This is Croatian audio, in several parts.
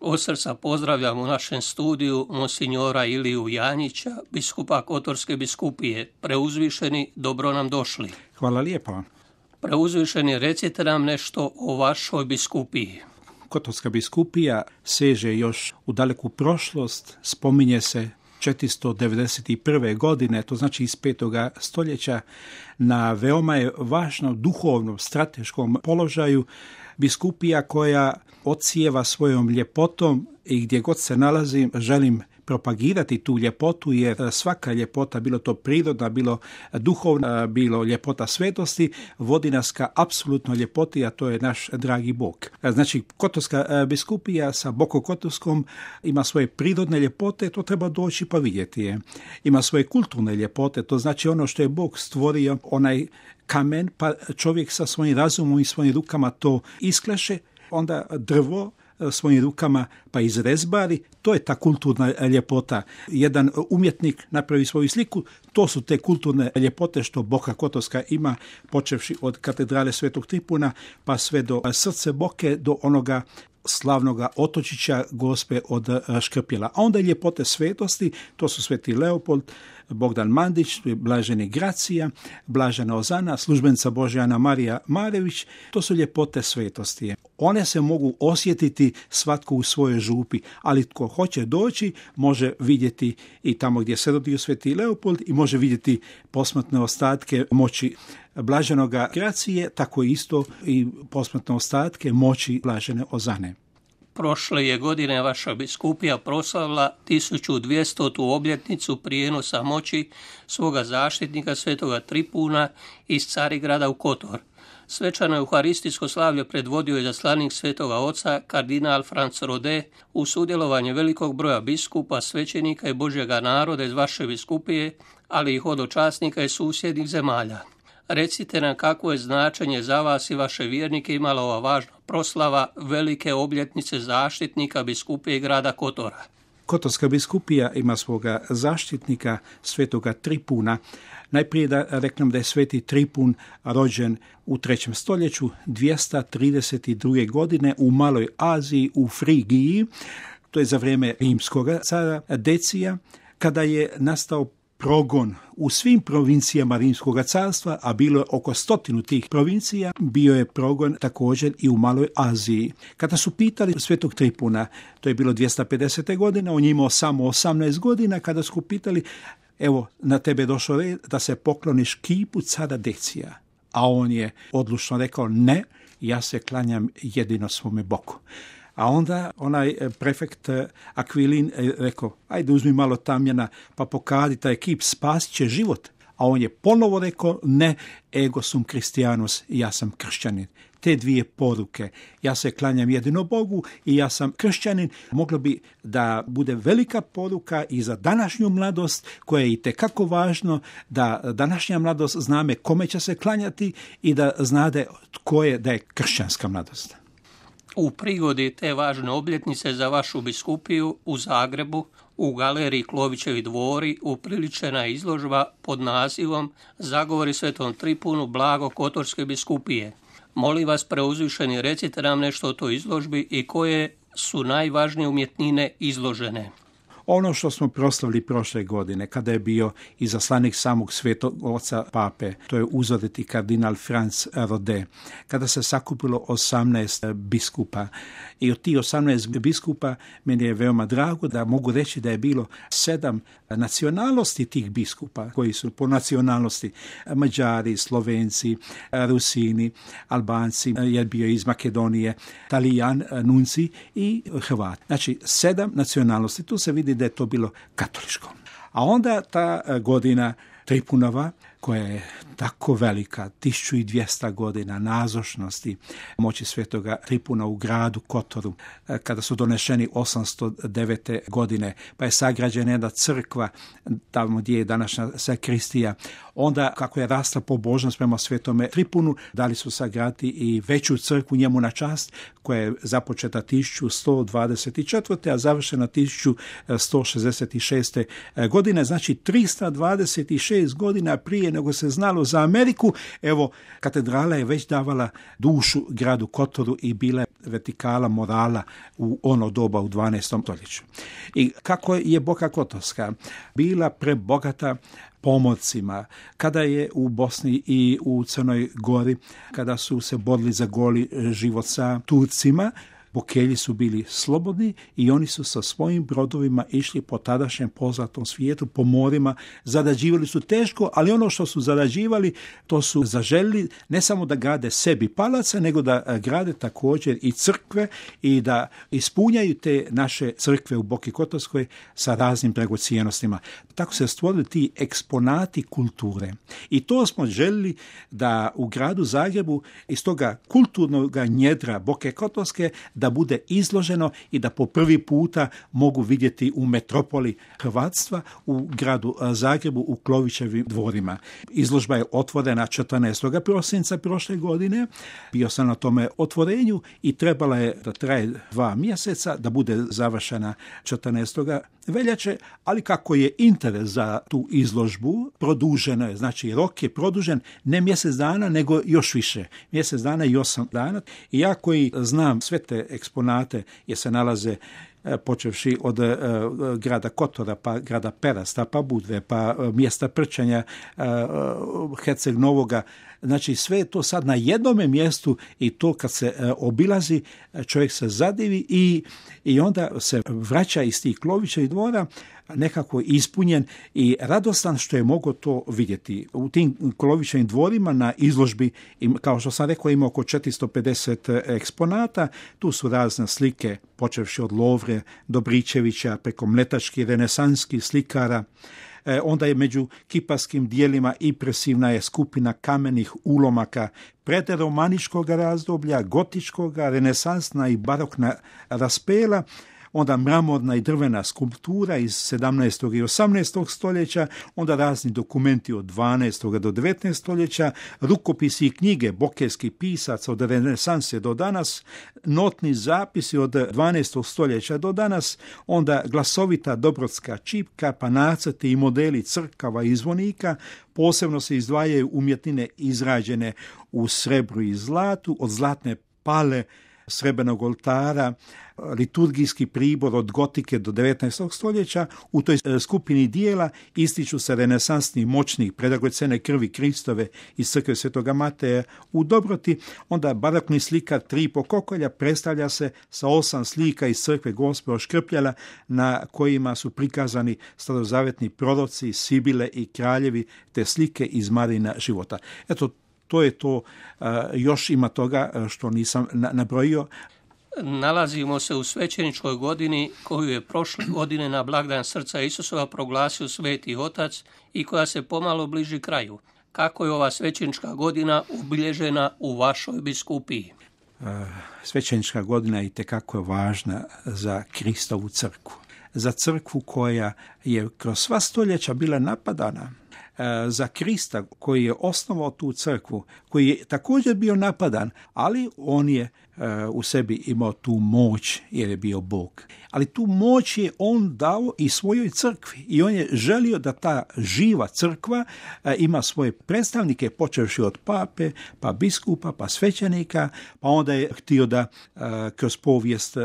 Od srca pozdravljam u našem studiju monsignora Iliju Janjića, biskupa Kotorske biskupije. Preuzvišeni, dobro nam došli. Hvala lijepo. Preuzvišeni, recite nam nešto o vašoj biskupiji. Kotorska biskupija seže još u daleku prošlost, spominje se 491. godine, to znači iz 5. stoljeća, na veoma je važnom duhovnom, strateškom položaju, biskupija koja odsijeva svojom ljepotom i gdje god se nalazim želim propagirati tu ljepotu, jer svaka ljepota, bilo to prirodna, bilo duhovna, bilo ljepota svetosti, vodi nas ka apsolutno ljepoti, a to je naš dragi Bog. Znači, Kotorska biskupija sa Bokokotorskom ima svoje prirodne ljepote, to treba doći pa vidjeti je. Ima svoje kulturne ljepote, to znači ono što je Bog stvorio, onaj kamen, pa čovjek sa svojim razumom i svojim rukama to iskleše, onda drvo svojim rukama pa izrezbari, to je ta kulturna ljepota. Jedan umjetnik napravi svoju sliku, to su te kulturne ljepote što Boka Kotorska ima, počevši od katedrale Svetog Tripuna pa sve do srce Boke, do onoga slavnoga otočića Gospe od Škrpjela. A onda ljepote svetosti, to su Sveti Leopold, Bogdan Mandić, Blaženi Gracija, Blažena Ozana, službenica Božja Ana Marija Marević, to su ljepote svetosti. One se mogu osjetiti svatko u svojoj župi, ali tko hoće doći može vidjeti i tamo gdje se rodio Sveti Leopold i može vidjeti posmrtne ostatke moći Blaženoga Gracije, tako isto i posmrtne ostatke moći Blažene Ozane. Prošle je godine vaša biskupija proslavila 1200. obljetnicu prijenosa moći svoga zaštitnika Svetoga Tripuna iz Carigrada u Kotor. Svečano euharistijsko slavlje predvodio je izaslanik Svetoga Oca, kardinal Franz Rode, u sudjelovanje velikog broja biskupa, svećenika i Božjega naroda iz vaše biskupije, ali i hodočasnika iz susjednih zemalja. Recite nam kakvo je značenje za vas i vaše vjernike imala ova važna proslava velike obljetnice zaštitnika biskupije grada Kotora. Kotorska biskupija ima svoga zaštitnika Svetoga Tripuna. Najprije da reknem da je Sveti Tripun rođen u 3. stoljeću 232. godine u Maloj Aziji, u Frigiji. To je za vrijeme rimskog cara Decija, kada je nastao progon u svim provincijama Rimskog carstva, a bilo je oko 100 tih provincija, bio je progon također i u Maloj Aziji. Kada su pitali Svetog Tripuna, to je bilo 250. godine, on je imao samo 18 godina, kada su pitali, evo, na tebe je došao red da se pokloniš kipu cara Decija. A on je odlučno rekao, ne, ja se klanjam jedino svome Bogu. A onda onaj prefekt Akvilin rekao, ajde uzmi malo tamjana pa pokadi taj kip, spasit će život. A on je ponovo rekao, ne, ego sum Christianus, ja sam kršćanin. Te dvije poruke, ja se klanjam jedino Bogu i ja sam kršćanin, moglo bi da bude velika poruka i za današnju mladost, koja je itekako važno da današnja mladost zname kome će se klanjati i da znade tko je, da je kršćanska mladost. U prigodi te važne obljetnice za vašu biskupiju u Zagrebu, u galeriji Klovićevi dvori, upriličena je izložba pod nazivom Zagovori Svetom Tripunu blago Kotorske biskupije. Molim vas, preuzvišeni, recite nam nešto o toj izložbi i koje su najvažnije umjetnine izložene. Ono što smo proslavili prošle godine, kada je bio izaslanik samog Svetog Oca Pape, to je uzoriti kardinal Franz Rode, kada se sakupilo 18 biskupa. I od tih 18 biskupa meni je veoma drago da mogu reći da je bilo 7 nacionalnosti tih biskupa, koji su po nacionalnosti Mađari, Slovenci, Rusini, Albanci, je bio iz Makedonije, Talijan, Nunci i Hrvat. Znači 7 nacionalnosti, tu se vidi da je to bilo katoličko. A onda ta godina Tripunova, koja je tako velika, 1200 godina nazočnosti moći Svetoga Tripuna u gradu Kotoru, kada su donešeni 809. godine, pa je sagrađena jedna crkva tamo gdje je današnja sakristija. Onda, kako je rasla pobožnost prema Svetome Tripunu, dali su sagraditi i veću crkvu njemu na čast, koja je započeta 1124. a završena 1166. godine, znači 326 godina prije nego se znalo za Ameriku. Evo, katedrala je već davala dušu gradu Kotoru i bila je vertikala morala u ono doba u 12. stoljeću. I kako je Boka Kotorska bila prebogata pomorcima, kada je u Bosni i u Crnoj Gori, kada su se borili za goli život sa Turcima, Bokelji su bili slobodni i oni su sa svojim brodovima išli po tadašnjem poznatom svijetu, po morima, zarađivali su teško, ali ono što su zarađivali, to su zaželjeli ne samo da grade sebi palace, nego da grade također i crkve i da ispunjaju te naše crkve u Boki Kotorskoj sa raznim dragocjenostima. Tako se stvorili ti eksponati kulture. I to smo željeli da u gradu Zagrebu iz toga kulturnog njedra Boke Kotorske da bude izloženo i da po prvi puta mogu vidjeti u metropoli hrvatstva u gradu Zagrebu u Klovićevim dvorima. Izložba je otvorena 14. prosinca prošle godine. Bio sam na tome otvorenju i trebala je da traje 2 mjeseca, da bude završena 14. veljače, ali kako je interes za tu izložbu produženo je, znači rok je produžen ne mjesec dana, nego još više. Mjesec dana i 8 dana. I ja koji znam sve te eksponate jer se nalaze počevši od grada Kotora, pa grada Perasta, pa Budve, pa mjesta Prčanja, Herceg Novoga. Znači sve je to sad na jednome mjestu i to kad se obilazi, čovjek se zadivi i onda se vraća iz tih Klovićevih dvora nekako ispunjen i radostan što je mogao to vidjeti. U tim Klovićevim dvorima na izložbi, kao što sam rekao, ima oko 450 eksponata. Tu su razne slike, počevši od Lovre, Dobričevića, preko mletačkih, renesanskih slikara. Onda je među kiparskim dijelima impresivna je skupina kamenih ulomaka predromaničkog razdoblja, gotičkog, renesansna i barokna raspela, onda mramorna i drvena skulptura iz 17. i 18. stoljeća, onda razni dokumenti od 12. do 19. stoljeća, rukopisi i knjige bokelskih pisaca od renesanse do danas, notni zapisi od 12. stoljeća do danas, onda glasovita dobrotska čipka, pa nacrti i modeli crkava i zvonika. Posebno se izdvajaju umjetnine izrađene u srebru i zlatu, od zlatne pale, srebrnog oltara, liturgijski pribor od gotike do 19. stoljeća. U toj skupini dijela ističu se renesansni moćni predragocjene krvi Kristove iz crkve Svetoga Mateja u Dobroti. Onda barokni slikar Tripo Kokolja predstavlja se sa 8 slika iz crkve Gospe Škrpljala na kojima su prikazani starozavetni proroci, sibile i kraljevi te slike iz Marina života. Eto, to je to, još ima toga što nisam nabrojio. Nalazimo se u svećeničkoj godini koju je prošle godine na blagdan Srca Isusova proglasio Sveti Otac i koja se pomalo bliži kraju. Kako je ova svećenička godina obilježena u vašoj biskupiji? Svećenička godina je itekako važna za Kristovu crkvu. Za crkvu koja je kroz sva stoljeća bila napadana, za Krista koji je osnovao tu crkvu, koji je također bio napadan, ali on je u sebi imao tu moć jer je bio Bog. Ali tu moć je on dao i svojoj crkvi i on je želio da ta živa crkva ima svoje predstavnike, počevši od pape, pa biskupa, pa svećenika, pa onda je htio da kroz povijest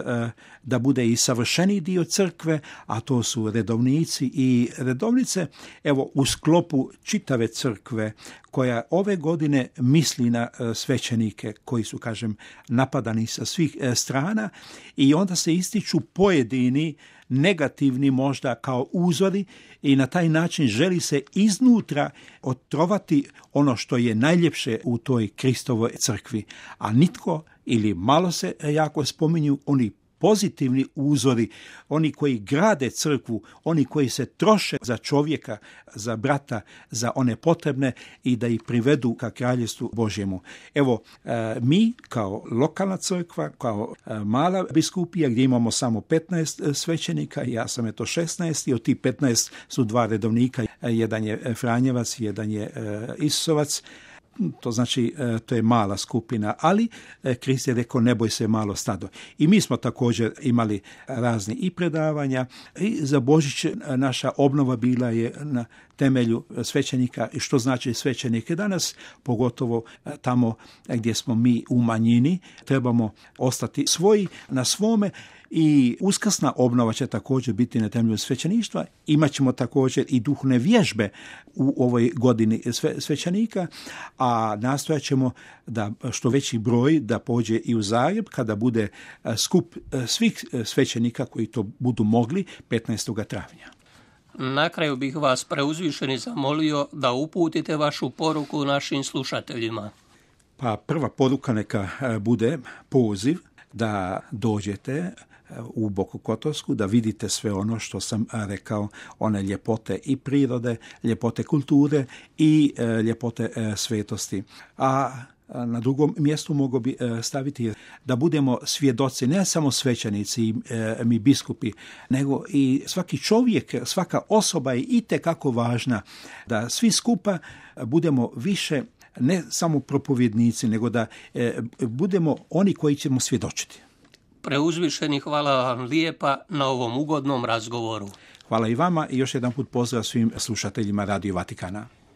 da bude i savršeni dio crkve, a to su redovnici i redovnice. Evo, u sklopu čitave crkve koja ove godine misli na svećenike koji su, kažem, napadani sa svih strana i onda se ističu pojedini negativni možda kao uzori i na taj način želi se iznutra otrovati ono što je najljepše u toj Kristovoj crkvi. A nitko ili malo se jako spominju oni pozitivni uzori, oni koji grade crkvu, oni koji se troše za čovjeka, za brata, za one potrebne i da ih privedu ka kraljevstvu Božjemu. Evo, mi kao lokalna crkva, kao mala biskupija gdje imamo samo 15 svećenika, ja sam 16 i od tih 15 su 2 redovnika, jedan je Franjevac, jedan je Isusovac. to znači to je mala skupina, ali Krist je rekao ne boj se malo stado. I mi smo također imali razni i predavanja i za Božić naša obnova bila je na temelju svećenika i što znači svećenike danas, pogotovo tamo gdje smo mi u manjini, trebamo ostati svoji na svome. I uskrsna obnova će također biti na temelju svećeništva. Imaćemo također i duhovne vježbe u ovoj godini svećenika, a nastojat ćemo da što veći broj da pođe i u Zagreb kada bude skup svih svećenika koji to budu mogli 15. travnja. Na kraju bih vas preuzvišeni zamolio da uputite vašu poruku našim slušateljima. Pa prva poruka neka bude poziv da dođete u Boku Kotorsku, da vidite sve ono što sam rekao, one ljepote i prirode, ljepote kulture i ljepote svetosti. A na drugom mjestu mogu bi staviti da budemo svjedoci, ne samo svećenici, mi biskupi, nego i svaki čovjek, svaka osoba je itekako važna, da svi skupa budemo više ne samo propovjednici, nego da budemo oni koji ćemo svjedočiti. Preuzvišeni, hvala vam lijepa na ovom ugodnom razgovoru. Hvala i vama i još jedan put pozdrav svim slušateljima Radio Vatikana.